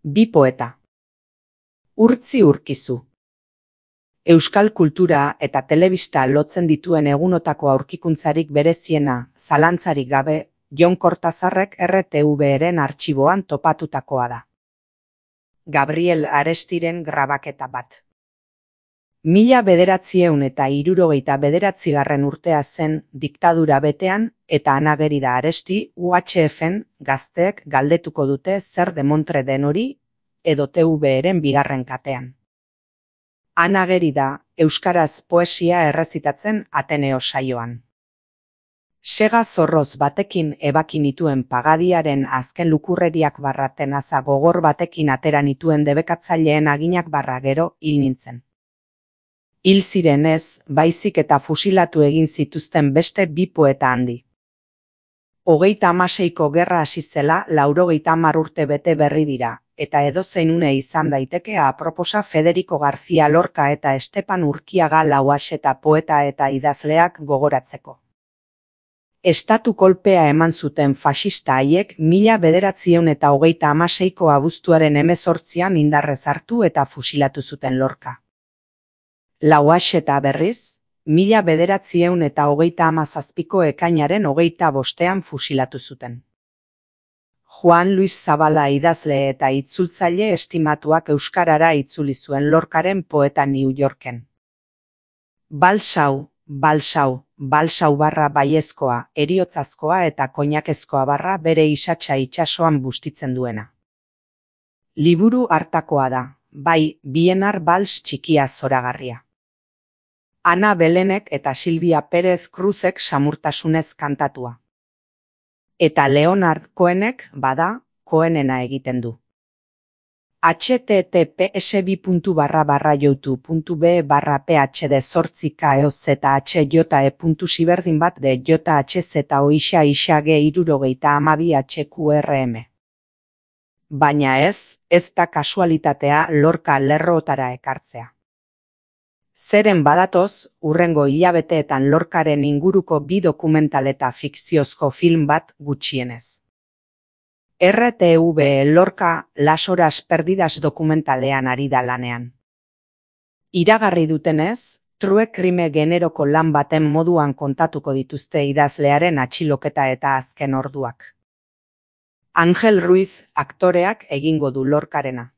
Bi poeta. Urtzi Urkizu. Euskal kultura eta telebista lotzen dituen egunotako aurkikuntzarik bereziena, zalantzarik gabe, Jon Kortazarrek RTVren artxiboan topatutakoa da. Gabriel Arestiren grabaketa bat. 1979 urtea zen diktadura betean eta Ana Gerida Aresti UHFen gazteek galdetuko dute zer demontre den hori edo TVren bigarren katean. Ana Gerida euskaraz poesia errezitatzen Ateneo saioan. Sega zorroz batekin ebaki nituen pagadiaren azken lukurreriak barra tenaza gogor batekin atera nituen debekatzaileen aginak barra gero hil nintzen. Hil zirenez, baizik eta fusilatu egin zituzten beste bi poeta handi. 36ko gerra hasi zela 90 urte bete berri dira, eta edozein une izan daiteke aproposa Federico García Lorca eta Estepan Urkiaga Lauaxeta poeta eta idazleak gogoratzeko. Estatu kolpea eman zuten faxista haiek 1936ko abuztuaren 18an indarrez hartu eta fusilatu zuten Lorca. Lauaxeta berriz, 1937ko ekainaren 25an fusilatu zuten. Juan Luis Zabala idazle eta itzultzaile estimatuak euskarara itzuli zuen Lorcaren poeta New Yorken. Balsau, balsau, balsau barra baiezkoa, heriotzazkoa eta koinakezkoa barra bere isatsa itsasoan bustitzen duena. Liburu hartakoa da, bai, Bienar bals txikia zoragarria. Ana Belenek eta Silvia Pérez Cruzek samurtasunez kantatua. Eta Leonard Cohenek bada, Cohenena egiten du. http://youtube.be/phd/zika/jhz/HJ/HQ/RM. Baina ez da kasualitatea Lorca lerrootara ekartzea. Zeren badatoz, hurrengo hilabeteetan Lorcaren inguruko bi dokumental eta fikziozko film bat gutxienez. RTV Lorca Las horas perdidas dokumentalean ari da lanean. Iragarri dutenez, true crime generoko lan baten moduan kontatuko dituzte idazlearen atxiloketa eta azken orduak. Angel Ruiz aktoreak egingo du Lorcarena.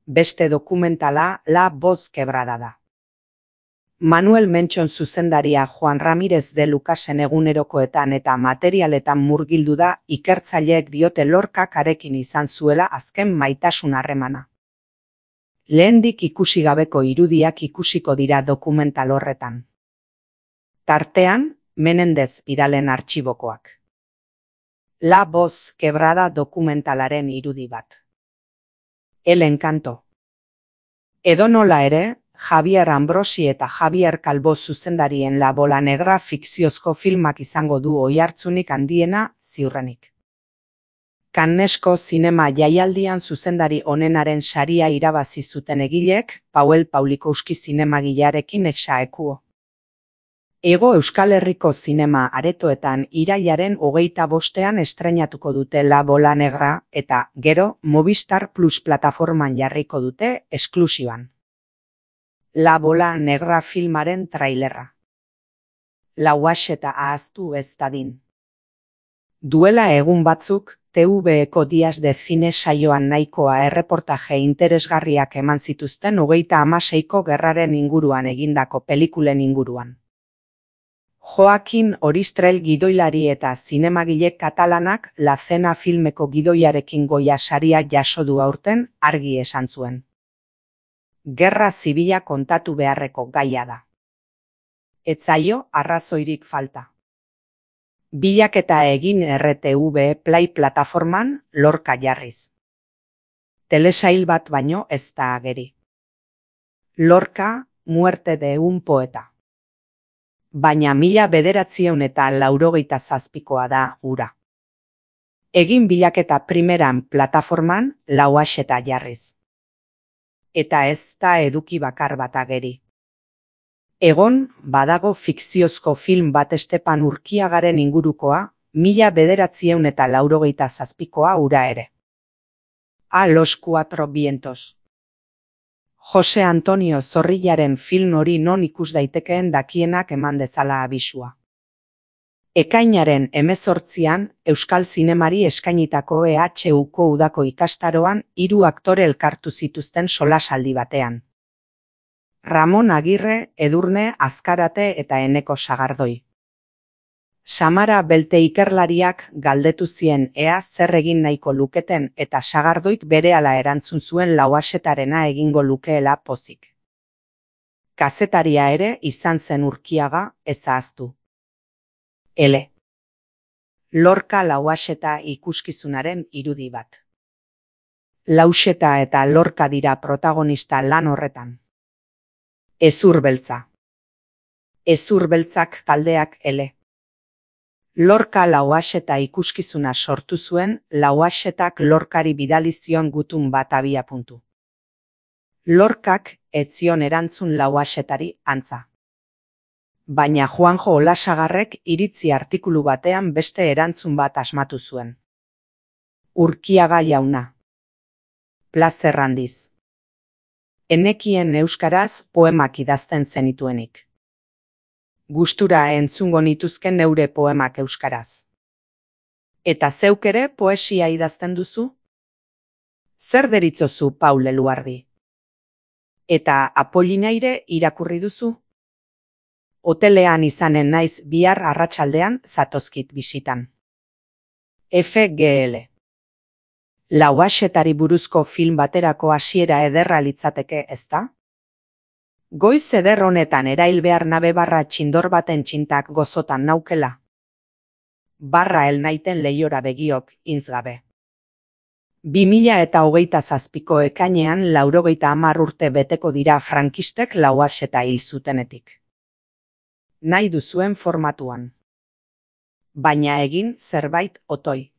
Beste dokumentala La voz quebrada da. Manuel Menchon zuzendaria Juan Ramírez de Lucasen egunerokoetan eta materialetan murgildu da ikertzaileek diote Lorcak harekin izan zuela azken maitasun harremana. Lehendik ikusi gabeko irudiak ikusiko dira dokumental horretan. Tartean, Menendez Pidalen artxibokoak. La voz quebrada dokumentalaren irudi bat. El encanto. Edonola ere, Javier Ambrosi eta Javier Calvo zuzendarien La bola negra fikziozko filmak izango du oihartzunik handiena ziurrenik. Cannesko zinema jaialdian zuzendari onenaren saria irabazi zuten egileek Pauel Paulikowski zinemagilearekin exaekuo. Hego Euskal Herriko zinema aretoetan irailaren 25ean estreinatuko dute La bola negra eta gero Movistar Plus plataforman jarriko dute esklusiban. La bola negra filmaren trailerra. Lauaxeta ahaztu ez dadin. Duela egun batzuk, TVeko Días de Cine saioan nahikoa erreportaje interesgarriak eman zituzten 36ko gerraren inguruan egindako pelikulen inguruan. Joaquin Oristrel gidoilari eta zinemagile katalanak La Cena filmeko gidoiarekin Goya saria jaso du aurten argi esan zuen. Gerra zibila kontatu beharreko gaia da. Ez zaio arrazoirik falta. Bilaketa egin RTV Play plataforman Lorca jarriz. Telesail bat baino ez da ageri. Lorca, muerte de un poeta. Baina 1987koa da hura. Egin bilaketa primeran plataforman Lauaxeta jarriz. Eta ez da eduki bakar bat ageri. Egon, badago fikziozko film bat Estepan Urkiagaren ingurukoa, 1987koa hura ere. A los cuatro vientos. Jose Antonio Zorrillaren film hori non ikus daitekeen dakienak eman dezala abisua. Ekainaren 18an Euskal Zinemari eskainitako EHUko udako ikastaroan 3 aktore elkartu zituzten solasaldi batean. Ramon Agirre, Edurne Azkarate eta Eneko Sagardoi. Samara Belte ikerlariak galdetu zien ea zer egin nahiko luketen eta Sagardoik berehala erantzun zuen Lauaxetarena egingo lukeela pozik. Kazetaria ere izan zen Urkiaga, ez ahaztu. L. Lorca Lauaxeta ikuskizunaren irudi bat. Lauxeta eta Lorca dira protagonista lan horretan. Hezur beltza. Hezur beltzak taldeak L. Lorca Lauaxeta ikuskizuna sortu zuen Lauaxetak Lorcari bidali zion gutun bat abiapuntu. Lorcak ez zion erantzun Lauaxetari antza. Baina Juanjo Olasagarrek iritzi artikulu batean beste erantzun bat asmatu zuen. Urkiaga jauna. Plazer handiz. Enekien euskaraz poemak idazten zenituenik. Gustura entzungo nituzken neure poemak euskaraz. Eta zeuk ere poesia idazten duzu? Zer deritzozu Paul Eluardi? Eta Apollinaire irakurri duzu? Hotelean izanen naiz bihar arratsaldean zatozkit bisitan. FGL. Lauaxetari buruzko film baterako hasiera ederra litzateke, ezta? Goiz eder honetan erail behar nabe barra txindor baten txintak gozotan naukela. Barra naiten lehiora begiok, inzgabe. 2027ko ekainean 90 urte beteko dira frankistek Lauaxeta hil zutenetik. Nahi duzuen formatuan. Baina egin zerbait otoi.